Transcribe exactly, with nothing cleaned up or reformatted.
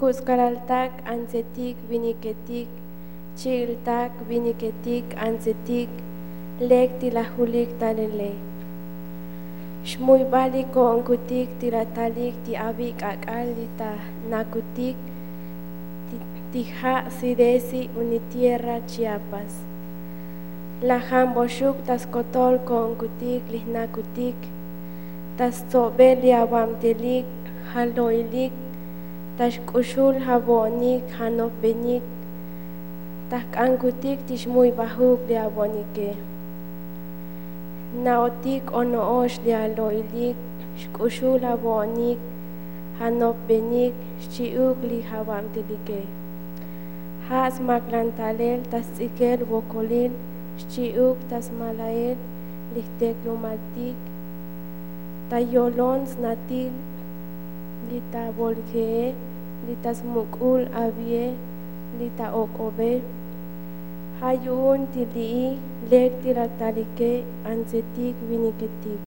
Kuts'kalaltak antsetik viniketik, chi'iltak viniketik antsetik, lek ti lajulik talele. Xmuybalik ko'onkutik ti latalik ti avi' k'ak'al li ta nakutik ti ja' sidesi unitierra chiapas. Lajan boxuk ta skotol ko'onkutik li jnakutik, ta stsobel li avabtelik jalo'ilik, ta xk'uxul javo'onik janopbenik, ta jk'ankutik ti xmuybajuk li avo'onike. Na'otik ono'ox li alo'ilik, xk'uxul avo'onik janopbenik, xchi'uk li javabtelike. Ja' smaklan talel ta sts'ikel vokolil, xchi'uk ta smalael li jteklumaltik, ta yolon snatil li ta volje'e, li ta smuk'ul avie, li ta ok'obe. Ja' yu'un ti li'i lek ti latalike antsetik viniketik.